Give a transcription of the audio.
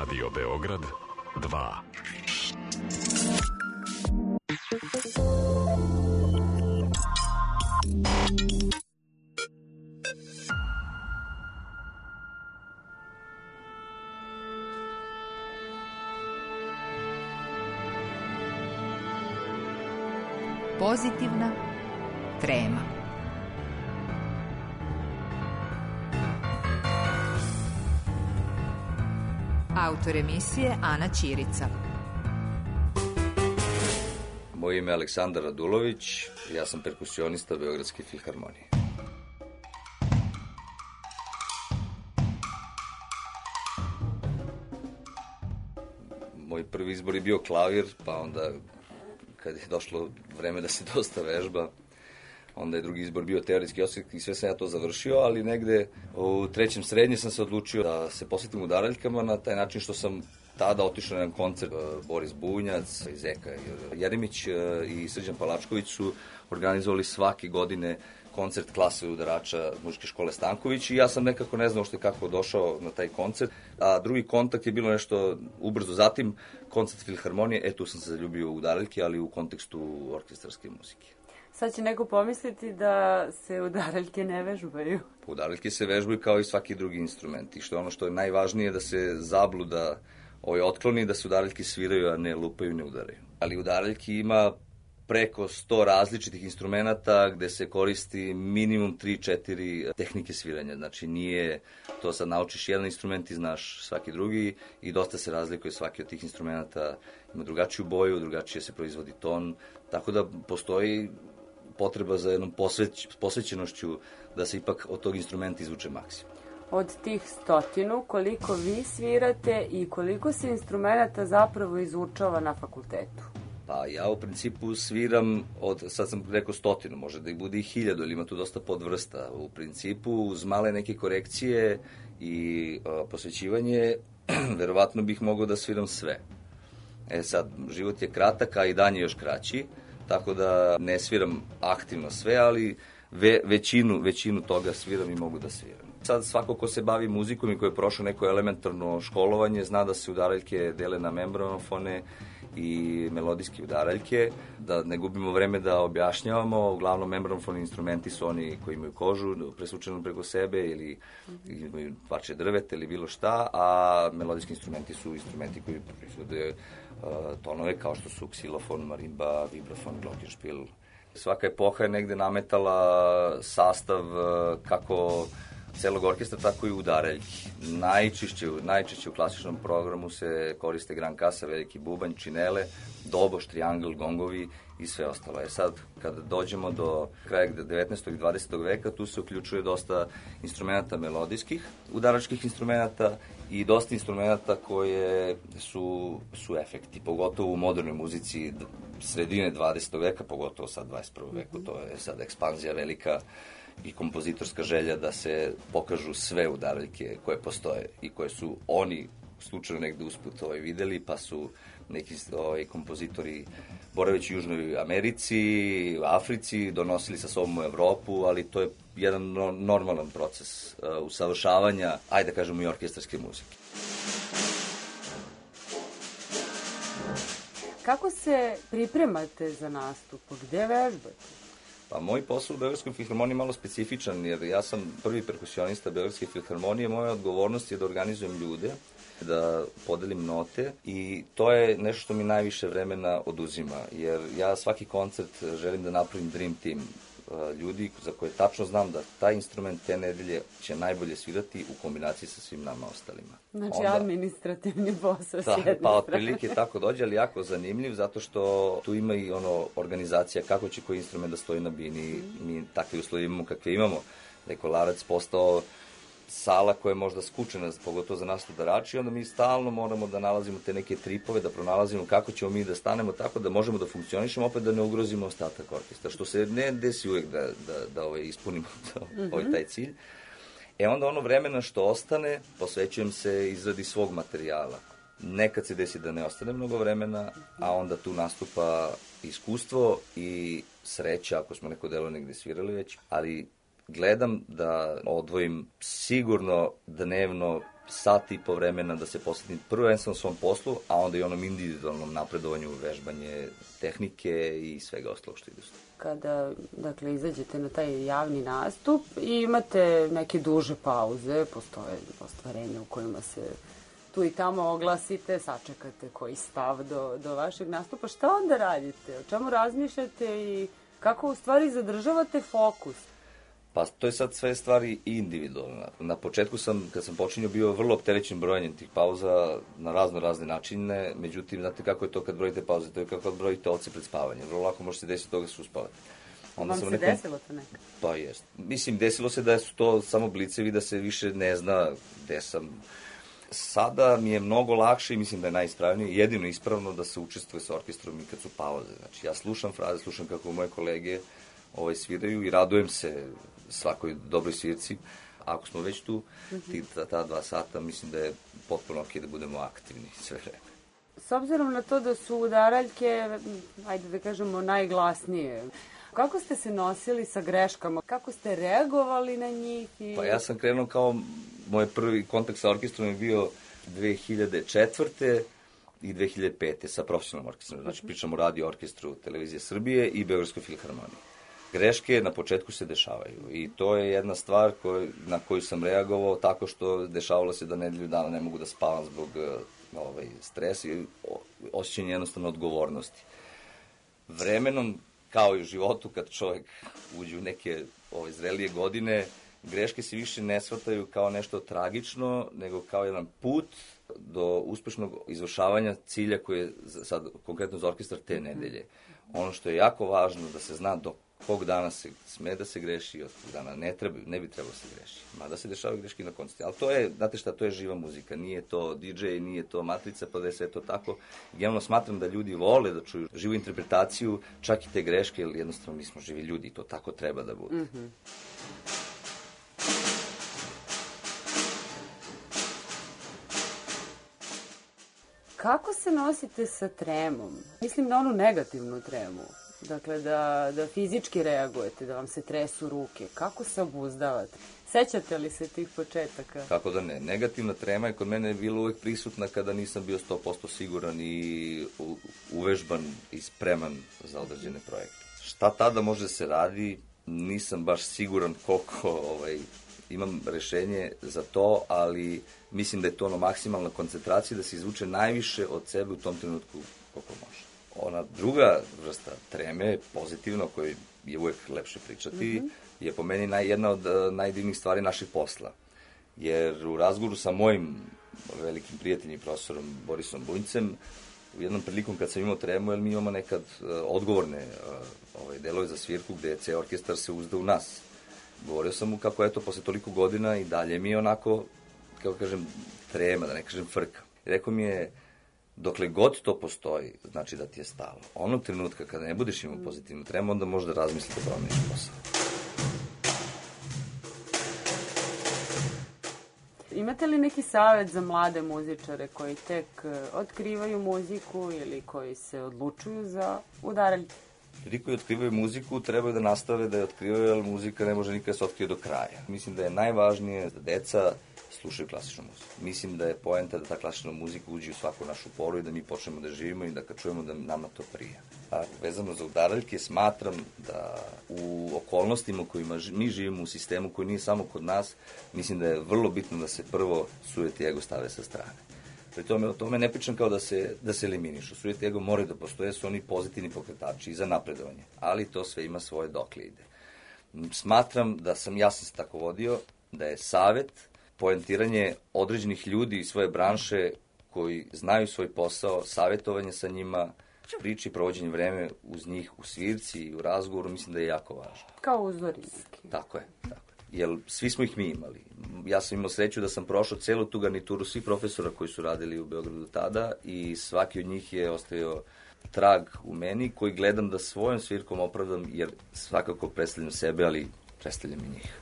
Radio Beograd 2. Pozitivna trema. Autor emisije Ana Ćirica. Moje ime je Aleksandar Radulović, ja sam perkusionista Beogradske filharmonije. Moj prvi izbor je bio klavir, pa onda kad je došlo vreme da se dosta vežba, onda je drugi izbor bio teoretski osjek i sve sam ja to završio, ali negde u trećem srednje sam se odlučio da se posvetim udaraljkama na taj način što sam tada otišao na jedan koncert. Boris Bunjac, Zeka Jeremić i Srđan Palačković su organizovali svake godine koncert klase udarača muzičke škole Stanković i ja sam nekako ne znao što je kako došao na taj koncert. A drugi kontakt je bilo nešto ubrzo zatim, koncert filharmonije, tu sam se zaljubio u udaraljke, ali u kontekstu orkestarske muzike. Sad će neko pomisliti da se udaraljke ne vežbaju. Udaraljke se vežbaju kao i svaki drugi instrument i što je ono što je najvažnije da se zabluda otkloni, da se udaraljke sviraju, a ne lupaju, ne udaraju. Ali udaraljki ima preko 100 različitih instrumenta gde se koristi minimum 3-4 tehnike sviranja. Znači nije to sad naučiš jedan instrument i znaš svaki drugi i dosta se razlikuje svaki od tih instrumenta. Ima drugačiju boju, drugačije se proizvodi ton, tako da postoji potreba za jednom posvećenošću da se ipak od tog instrumenta izvuče maksimum. Od tih 100, koliko vi svirate i koliko se instrumenta zapravo izučava na fakultetu? Pa ja u principu sviram sad sam rekao 100, može da ih bude i 1000, ili ima tu dosta podvrsta. U principu uz male neke korekcije i posvećivanje, verovatno bih mogao da sviram sve. Sad, život je kratak, a i dan je još kraći, tako da ne sviram aktivno sve, ali većinu toga sviram i mogu da sviram. Sad svako ko se bavi muzikom i ko je prošao neko elementarno školovanje, zna da se udaraljke dele na membranofone i melodijske udaraljke, da ne gubimo vreme da objašnjavamo. Uglavnom membranofoni instrumenti su oni koji imaju kožu presvučenu preko sebe ili imaju parče drveta ili bilo šta, a melodijski instrumenti su instrumenti koji proizvode tonove kao što su ksilofon, marimba, vibrafon, glockenspiel. Svaka epoha je negde nametala sastav kako celog orkestra, tako i udaraljki. Najčešće u klasičnom programu se koriste gran kasa, veliki bubanj, činele, doboš, triangl, gongovi i sve ostalo. Sad, kada dođemo do kraja 19. i 20. veka, tu se uključuje dosta instrumenta melodijskih, udaračkih instrumenta i dosta instrumenta koje su efekti, pogotovo u modernoj muzici sredine 20. veka, pogotovo sad 21. veku. To je sad ekspanzija velika i kompozitorska želja da se pokažu sve udaraljke koje postoje i koje su oni slučajno negde usput videli, pa su neki kompozitori boraveći u Južnoj Americi, u Africi, donosili sa sobom u Evropu, ali to je jedan normalan proces usavršavanja, ajde da kažemo, i orkestarske muzike. Kako se pripremate za nastup? Gde vežbate? Pa moj posao u Beogradskoj filharmoniji je malo specifičan, jer ja sam prvi perkusionista Beogradske filharmonije. Moja odgovornost je da organizujem ljude, da podelim note i to je nešto što mi najviše vremena oduzima, jer ja svaki koncert želim da napravim dream team ljudi za koje tačno znam da taj instrument te nedelje će najbolje svirati u kombinaciji sa svim nama ostalima. Znači administrativni posao s jedne strane. Pa otprilike tako dođe, ali jako zanimljiv, zato što tu ima i organizacija kako će koji instrument da stoji na bini. Mi takve uslovi imamo kakve imamo. Da je Kolarac postao sala koja je možda skučena, pogotovo za nas udarači, onda mi stalno moramo da nalazimo te neke tripove, da pronalazimo kako ćemo mi da stanemo tako da možemo da funkcionišemo, opet da ne ugrozimo ostatak orkestra, što se ne desi uvek da ispunimo taj cilj. Onda ono vremena što ostane, posvećujem se izradi svog materijala. Nekad se desi da ne ostane mnogo vremena, a onda tu nastupa iskustvo i sreća, ako smo neko delo negde svirali već, ali gledam da odvojim sigurno dnevno sat i po vremena da se posvetim prvenstveno svom poslu, a onda i onom individualnom napredovanju, vežbanje tehnike i svega ostalog što ide. Kada, dakle, izađete na taj javni nastup i imate neke duže pauze, postoje ostvarenja u kojima se tu i tamo oglasite, sačekate koji stav do vašeg nastupa. Šta onda radite? O čemu razmišljate i kako u stvari zadržavate fokus? Pa to je sad sve stvari individualno. Na početku kad sam počinio, bio vrlo opterećen brojanjem tih pauza na razne načine, međutim, znate kako je to kad brojite pauze, to je kako kad brojite ovce pred spavanjem. Vrlo lako možete desiti toga da se uspavate. Vam se desilo to nekako? Pa jest. Mislim, desilo se da su to samo blicevi, da se više ne zna gde sam. Sada mi je mnogo lakše i mislim da je najispravnije, jedino ispravno da se učestvuje sa orkestrom i kad su pauze. Znači, ja slušam fraze, slušam kako moje kolege sviraju i radujem se svakoj dobroj svirci. Ako smo već tu, ta 2 sata, mislim da je potpuno ok da budemo aktivni sve vreme. S obzirom na to da su udaraljke, ajde da kažemo, najglasnije, kako ste se nosili sa greškama? Kako ste reagovali na njih? Pa ja sam krenuo kao, moj prvi kontakt sa orkestrom je bio 2004. i 2005. sa profesionalnom orkestrom. Znači, pričamo o radio orkestru Televizije Srbije i Beogradskoj filharmoniji. Greške na početku se dešavaju i to je jedna stvar na koju sam reagovao tako što dešavalo se da nedelju dana ne mogu da spavam zbog stresa i osjećanja jednostavno odgovornosti. Vremenom, kao i u životu, kad čovjek uđe u neke zrelije godine, greške se više ne shvataju kao nešto tragično, nego kao jedan put do uspešnog izvršavanja cilja koji je sad konkretno za orkestar te nedelje. Ono što je jako važno da se zna do kog dana se sme da se greši, od kog dana ne bi trebalo se greši. Mada se dešavaju greške na koncertu. Ali to je, znate šta, to je živa muzika. Nije to DJ, nije to matrica, pa da je sve to tako. Generalno smatram da ljudi vole da čuju živu interpretaciju, čak i te greške, jer jednostavno mi smo živi ljudi i to tako treba da bude. Kako se nosite sa tremom? Mislim na onu negativnu tremu. Dakle, da fizički reagujete, da vam se tresu ruke. Kako se obuzdavate? Sećate li se tih početaka? Kako da ne. Negativna trema je kod mene bila uvek prisutna kada nisam bio 100% siguran i uvežban i spreman za određene projekte. Šta tada može se radi, nisam baš siguran koliko imam rešenje za to, ali mislim da je to maksimalna koncentracija, da se izvuče najviše od sebe u tom trenutku koliko može. Ona druga vrsta treme, pozitivna, o kojoj je uvek lepše pričati, je po meni jedna od najdivnijih stvari naših posla. Jer u razgovoru sa mojim velikim prijateljim, profesorom Borisom Bunjcem, u jednom prilikom kad sam imao tremu, jer mi imamo nekad odgovorne delove za svirku gde ceo orkestar se uzda u nas. Govorio sam mu kako eto, posle toliko godina i dalje mi je onako, kako kažem, trema, da ne kažem frka. Rekao mi je, dokle god to postoji, znači da ti je stalo. Onog trenutka kada ne budeš imao pozitivnu tremu, onda možda razmisliti da promeniš posao. Imate li neki savet za mlade muzičare koji tek otkrivaju muziku ili koji se odlučuju za udaraljke? Ljudi koji otkrivaju muziku trebaju da nastave da je otkrivaju, jer muzika ne može nikada se otkrije do kraja. Mislim da je najvažnije da deca slušaju klasičnu muziku. Mislim da je poenta da ta klasična muzika uđe u svaku našu poru i da mi počnemo da živimo i da kad čujemo da nama to prija. A vezano za udaraljke, smatram da u okolnostima u kojima mi živimo, u sistemu koji nije samo kod nas, mislim da je vrlo bitno da se prvo sujet i ego stave sa strane. Pri tome, o tome ne pričam kao da se eliminišu. Sujet i ego moraju da postoje, su oni pozitivni pokretači i za napredovanje. Ali to sve ima svoje dokle ide. Smatram da ja sam se tako vodio, da je savet, poentiranje određenih ljudi iz svoje branše koji znaju svoj posao, savjetovanje sa njima, priče i provođenje vreme uz njih u svirci i u razgovoru, mislim da je jako važno. Kao uzori neki. Tako je. Jer svi smo ih mi imali. Ja sam imao sreću da sam prošao celu tu garnituru svih profesora koji su radili u Beogradu tada i svaki od njih je ostavio trag u meni koji gledam da svojom svirkom opravdam, jer svakako predstavljam sebe, ali predstavljam i njih.